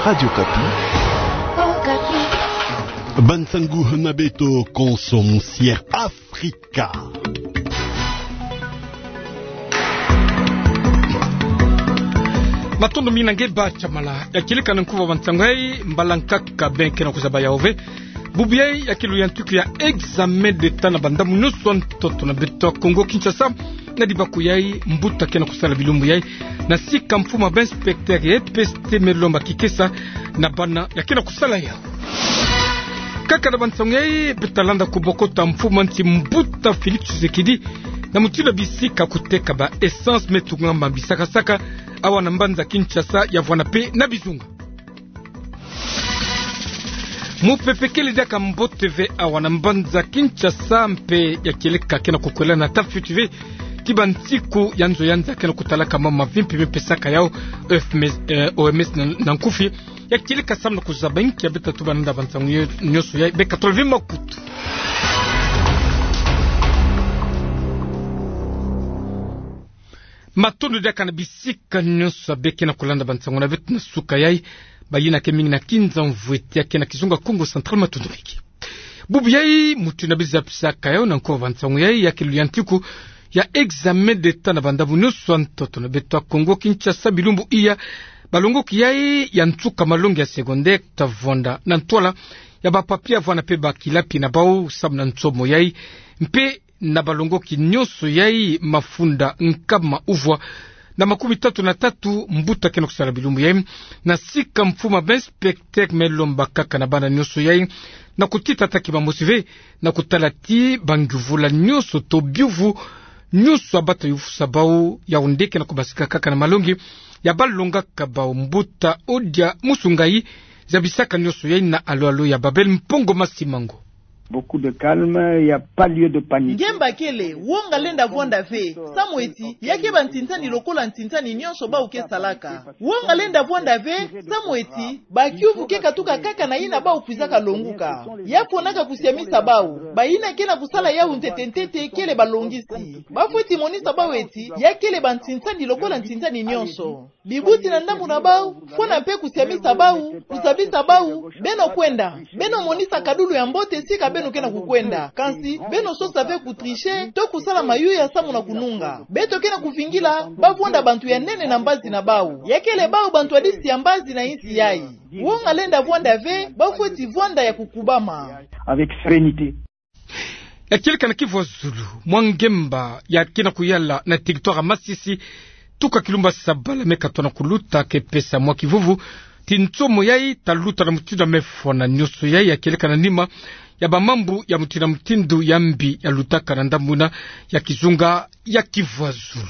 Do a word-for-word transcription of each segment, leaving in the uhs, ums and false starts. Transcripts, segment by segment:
Radio Okapi. Okapi. Bansangu na beto, Konso Musière Afrika. Matondo mingi na nge ba tiamala. Ya kieleka na nkufi bansangu yai, mbala nkaka beno ke na kuzaba yawu ve. Bubu yai ya kilu ya ntuku ya examen d'État na bandambu nyonso ya ntoto na beto ya Kongo Kinshasa. Na dibaku yai, mbuta ke na kusala bilumbu yai na sika mfumu ya ba inspecteur ya E P S T Me Lomba Kikesa na bana ya ke na kusala yawu. Kaka na bansangu yai, beta landa kubokota mfumu ya nsi mbuta Félix Tshisekedi na mutindu ya bisika kuteka ba essence me tungama bisaka-saka awa na mbanza Kinshasa, ya vwanda mpe na bizunga. Mupepe kele diaka mbote ve awa na mbanza Kinshasa mpe ya kieleka ke na kukwela na tafuti ve ti bansiku ya nzo ya nza ke na kutalaka mama vimpi me pesaka yawu O M S, eh, O M S na, na nkufi. Ya kieleka samu na kuzaba inki ya beta tuba nanda bansangu yo-, nyonso yai, beka tolo ve makutu. Matondo diaka na bisika nyonso ya beno ke na kulanda bansangu na beto na suka yai. Bayina ke mingi na Kinzamvueti, ya ke na kizunga Kongo Central, matondo mingi. Bubu yai, mutindu na biza pisaka yawu na nkufi bansangu yai, ya kilu ya ntuku ya examen d'État na bandambu nyonso ya ntoto na beto ya Kongo Kinshasa bilumbu iya. Balongoki yai ya nsuka malongi ya secondaire ta vwanda na ntwala ya ba papier ya vwanda mpe ba kilapi na bawu samu na nsomo yai. Mpe na balongoki nyonso yai, mafunda nkama uvwa na makumi tatu na tatu, mbuta ke na kusala bilumbu yai na sika mfumu ya ba inspecteur Me Lomba Kikesa na bana nyonso yai, na kutita taki bamosi ve na kutala ti bangiuvula nyonso to biuvu nyonso ya bata yuvusa bawu, yawu nde ke na kubasika kaka na malongi ya balongaka bawu. Mbuta Odia Musungayi zabisaka nyonso yai na alo-alo ya Babel Mpongo Masimango. Beaucoup de calme, il y a pas lieu de panique. Ngemba kele, wonga lenda vwanda ve, samu ti ya ke bansinsani lokola nsinsani nyonso bawu ke salaka. Wonga lenda vwanda ve, samu ti bakiuvu ke katuka kaka na yina bawu kwizaka longuka. Ya fwanaka kusiamisa bawu. Bayina ke na kusala yawu ntete-ntete kele balongisi. Bafweti monisa bawu ti ya kele bansinsani lokola nsinsani nyonso. Bibuti na ndambu na bawu, fwana mpe kusiamisa bawu, kuzabisa bawu: beno kwenda, beno monisa kadulu ya mbote sika beno ke na kukwenda. Kansi beno sosa ve kutricher to kusala mayuya samu na kununga. Beto ke na kuvingila ba vwanda bantu ya nene na mbazi na bawu. Ya kele bawu bantu ya disi ya mbazi na insi yai. Wonga lenda vwanda ve, bafweti vwanda ya kukubama. Avec sérénité. Ya kieleka na Kivu ya zulu, mwa ngemba ya ke na kuyala na territoire ya Masisi, tuka kilumbu sabala me katona kuluta, ke pesa mwa kivuvu ti nsomo yai ta luta na mutindu ya mefwa na nyonso yai, ya kieleka na nima ya bamambu ya mutindu na mutindu ya mbi ya lutaka na ndambu yina ya kizunga ya Kivu ya zulu.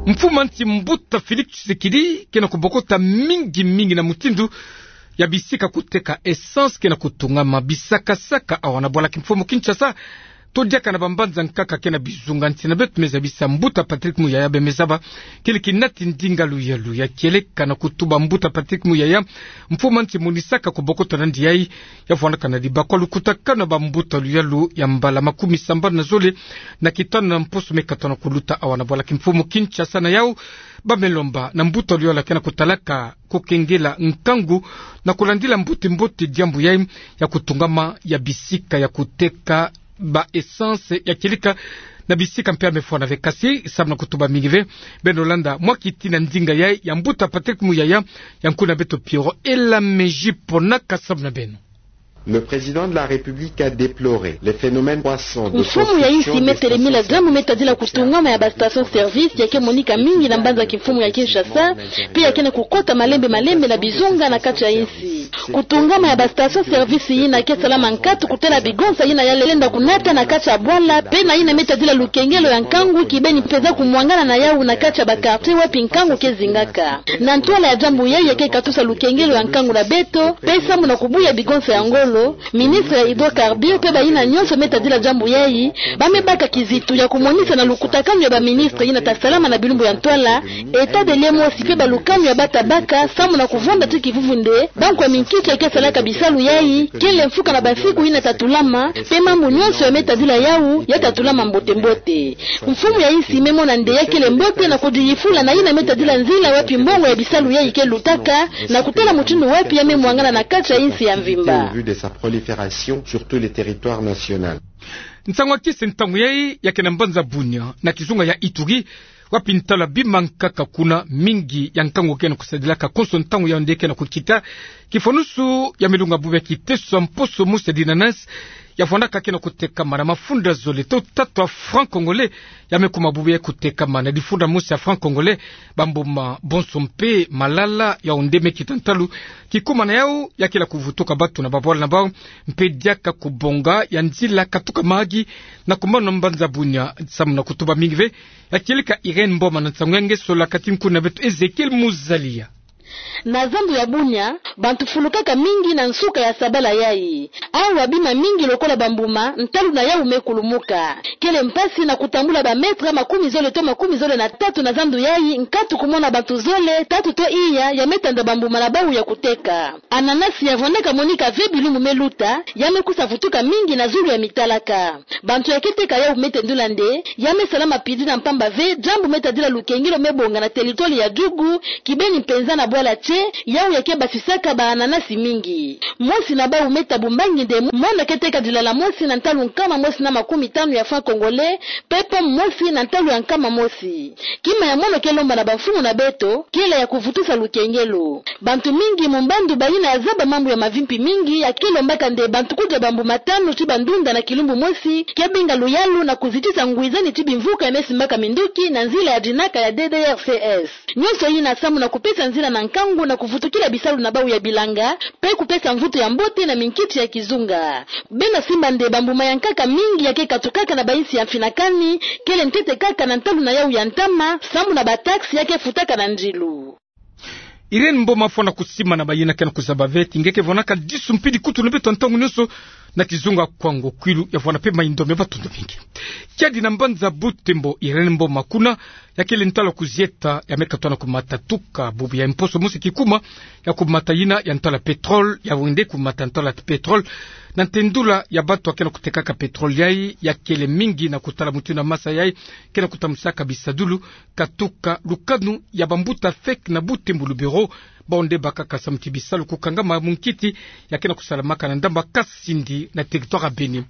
Mfumu ya nsi mbuta Félix Tshisekedi ke na kubokota mingi-mingi na mutindu ya bisika kuteka essence ke na kutungama bisaka-saka awa na bwala kimfumu Kinshasa, to diaka na bambanza nkaka ke na bizunga nsi na beto. Me zabisa mbuta Patrick Muyaya, beno me zaba kele kinati ndinga luyalu ya kieleka na kutuba mbuta Patrick Muyaya, mfumu ya nsi monisaka kubokota nandi yai ya vwandaka na dibaku ya lukutakanu ya bambuta luyalu ya mbala makumi sambanu na zole na kitanu na mposo me katona kuluta awa na bwala kimfumu Kinshasa. Na yawu, ba me lomba na mbuta luyalu ya ke na kutalaka kukengela nkangu na kulandila mbote-mbote diambu yai ya kutungama ya bisika ya kuteka ba essence ya kieleka na bisika mpe ya mefwa na ve. Kasi samu na kutuba mingi ve, beno landa mwa kiti na ndinga yai ya mbuta Patrick Muyaya, ya nkuna beto Pierrot Elameji Ponaka samu na beno. Le président de la République a déploré les phénomènes croissants de construction de... Mfumu ya insi me telemila diambu me tadila kutungama ya ba station service ya ke monika mingi na mbanza kimfumu ya Kinshasa, mpe ya ke na kukota malembe-malembe na bizunga na kati ya insi. Kutungama ya ba station service yina ke salama nkatu kutela bigonsa yina ya lenda kunata na kati ya bwala, mpe na yina me tadila lukengelo ya nkangu kibeni mpeza kumwangana na yawu na kati ya ba quartier wapi nkangu ke zingaka. Na ntwala ya diambu yai ya ke katusa lukengelo ya nkangu na beto, mpe samu na kubuya bigonsa ya ngolo. Ministre ya Hydrocarbures pe bayina nyonso me tadila diambu yayi, ba me baka kizitu ya kumonisa na lukutakanu ya ba ministre yina ta salama na bilumbu ya ntwala, état des lieux mosi pe balukanu ya ba ta baka, samu na kuvonda ti kivuvu nde, bankwa minkiki ya ke salaka bisalu yayi, kele mfuka na basiku yina ta tulama, pe mambu nyonso ya me tadila yawu, ya ta tulama mbote mbote. Mfumu ya insi me mona nde ya kele mbote na kudiyifula na yina me tadila nzila wapi mbongo ya bisalu yayi ke lutaka, na kutala mutindu wapi ya me mwangana na kati ya insi ya mvimba. Vue de sa prolifération sur tout le territoire national. Nsangu ya kisi ntangu yayi ya ke na mbanza Bunia, na kizunga ya Ituri, wapi ntalwa bima nkaka kuna mingi ya nkangu ke na kusadilaka konso ntangu yawu nde ke na kukita, kifwanusu ya me lunga bubu ya kiteso ya mposo mosi ya dinanasi, ya vwandaka ke na kutekama na mafunda zole to tatu ya franc congolais, ya me kuma bubu ya kutekama na difunda mosi ya franc congolais, bambuma bonso mpe malala, yawu nde me kita ntalu, kikuma na yawu ya kila kuvutuka batu na babwala na bawu, mpe diaka kubonga ya nzila katuka mahaki na kumana na mbanza Bunia, samu na kutuba mingi ve, ya kieleka Irène Mboma na nsangu ya nge, sola kati nkuna beto Ezekiel Muzalia. Na zandu ya Bunia, bantu fulukaka mingi na nsuka ya sabala yayi. Awa bima mingi lokola bambuma, ntalu na yawu me kulumuka. Kele mpasi na kutambula ba mètre makumi zole to makumi zole na tatu na zandu yayi, nkatu kumona bantu zole, tatu to iya, ya me tanda bambuma na bawu ya kuteka. Ananasi ya vwandaka monika ve bilumbu me luta, ya me kusa vutuka mingi na zulu ya mitalaka. Bantu ya ke teka yawu me tendula nde, ya me salama pidina mpamba ve, diambu me tadila lukengelo me bonga na territoire ya Djugu, kibeni mpenza na bwala tse, yawu ya ke basisaka ba ananasi mingi. Mosi na bawu me tabu mbangi nde, mwana ke teka dilala mosi na ntalu nkama mosi na makumi tanu ya franc congolais, pe pomme mosi na ntalu ya nkama mosi. Kima ya mono ke lomba na bamfumu na beto, kele ya kuvutusa lukengelo. Bantu mingi mu mbandu bayina ya zaba mambu ya mavimpi mingi ya ke lombaka nde bantu kudia bambuma tanu ti bandunda na kilumbu mosi, ke binga luyalu na kuzitisa ngwizani ti bimvuka ya me simbaka minduki na nzila ya dinaka ya D D R C S. Nyonso yina samu na kupesa nzila na nkangu na kuvutukila bisalu na bawu ya bilanga, pe kupesa mvutu ya mbote na minkiti ya kizunga. Beno simba nde bambuma ya nkaka mingi ya ke katukaka na bainsi ya mfinakani, kele ntete kaka na ntalu na yawu ya ntama, samu na ba taxe ya ke futaka na ndilu. Irène Mboma, fwana kusima na bayina ke na kuzaba ve ti nge ke vwanaka disu mpidi kutu na beto ntangu nyonso, na kizunga Kwango, Kwilu, ya vwana pe mayindo me batundu mingi. Kiadi na mbanza Butembo, Irène Mboma kuna, ya kele ntalu kuzieta, ya me katwa na kumata tuka bubu ya mposo mosi kikuma, ya kumata yina ya ntalu ya pétrole, yawu nde kumata ntalu ya pétrole, na ntendula ya batu ya ke na kutekaka pétrole yayi, ya kele mingi na kutala mutindu ya masa yayi ke na kutamusaka bisadulu, katuka lukanu ya bambuta fek na Butembo Lubero, bawu nde bakaka samu ti bisalu kukangama mu nkiti ya ke na kusalamaka na ndamba Kasindi na territoire ya Beni.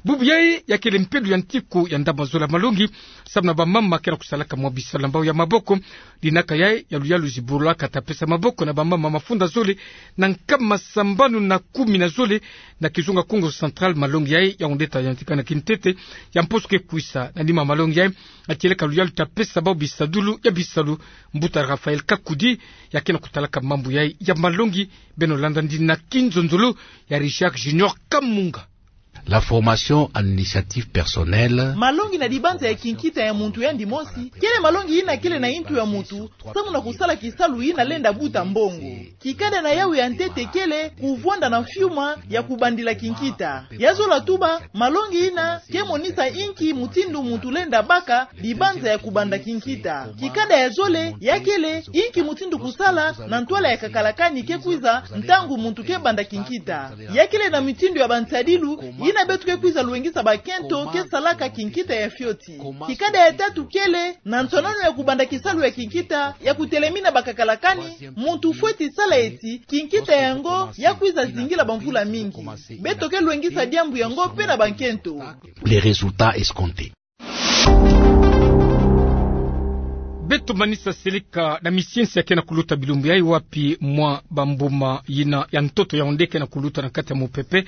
Bubu yayi ya kele mpelo ya ntiku ya ndamba zole ya malongi, samu na bamama ke na kusalaka mwa bisalu na bawu ya maboko. Dinaka yayi ya luyalu zibulaka ta pesa maboko na bamama mafunda zole na nkama sambanu na kumi na zole na kizunga Kongo Central. Malongi yayi yawu nde ta yantikana kintete ya mposo ke kwisa. Na nima malongi yayi, ya kieleka luyalu ta pesa bawu bisadulu ya bisalu, mbuta Raphaël Kakudi, ya ke na kutalaka mambu yayi ya malongi. Beno landa ndina kinzonzolo ya Richard Junior Kamunga. La formation en initiative personnelle. Malongi na dibanza ya kinkita ya muntu yandi mosi, kele malongi yina kele na yintu ya muntu, samu na kusala kisalu yina lenda buta mbongo. Kikanda na yawu ya ntete kele kuvwanda na mfiuma ya kubandila kinkita. Ya zola tuba, malongi yina ke monisa inki mutindu muntu lenda baka dibanza ya kubanda kinkita. Kikanda ya zole, ya kele inki mutindu kusala na ntwala ya kakalakani ke kwiza ntangu muntu ke banda kinkita. Ya kele na mitindu ya bansadilu yina beto ke kwiza lwengisa bakento ke salaka kinkita ya fioti. Kikanda ya tatu kele na nsonanu ya kubanda kisalu ya kinkita ya kutelemina bakakalakani, muntu fweti sala eti kinkita yango ya kwiza zingila bamvula mingi. Beto ke lwengisa diambu yango pe na bankento. Les résultats escomptés. Beto manisa seleka na misiensi ya ke na kuluta bilumbu yayi, wapi mwa bambuma yina ya ntoto yawu nde ke na kuluta na kati ya mupepe.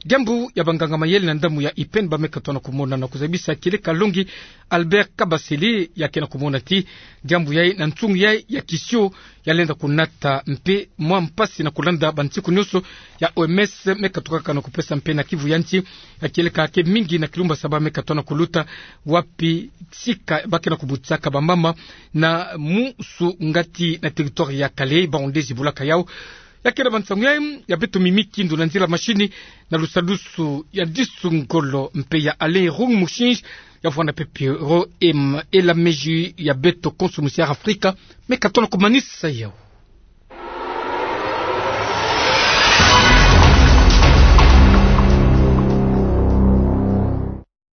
Diambu ya banganga mayele na ndambu ya IPEN ba me katwa na kumona na kuzabisa, kieleka longi Albert Kabasele, ya ke na kumona ti diambu yayi na nsungu yayi ya kisio ya lenda kunata mpe mwa mpasi na kulanda bansiku nyonso ya O M S me katukaka na kupesa mpe na kivu ya nsi. Ya kieleka ke mingi na kilumbu ya saba me katwa na kuluta, wapi sika ba ke na kubutisaka bamama na musu ngati na territoire ya Kalehe, bawu nde zibulaka yawu. Ya kera ba nsangu ya, ya beto mimi kindo na nzila mashini, na lusalusu ya Disu Ngolo mpe ya Alain Rung Mushinji, ya vwanda pepe ro ema ela meji ya beto konso musi ya Afrika, me ka tona ko manisa yawu.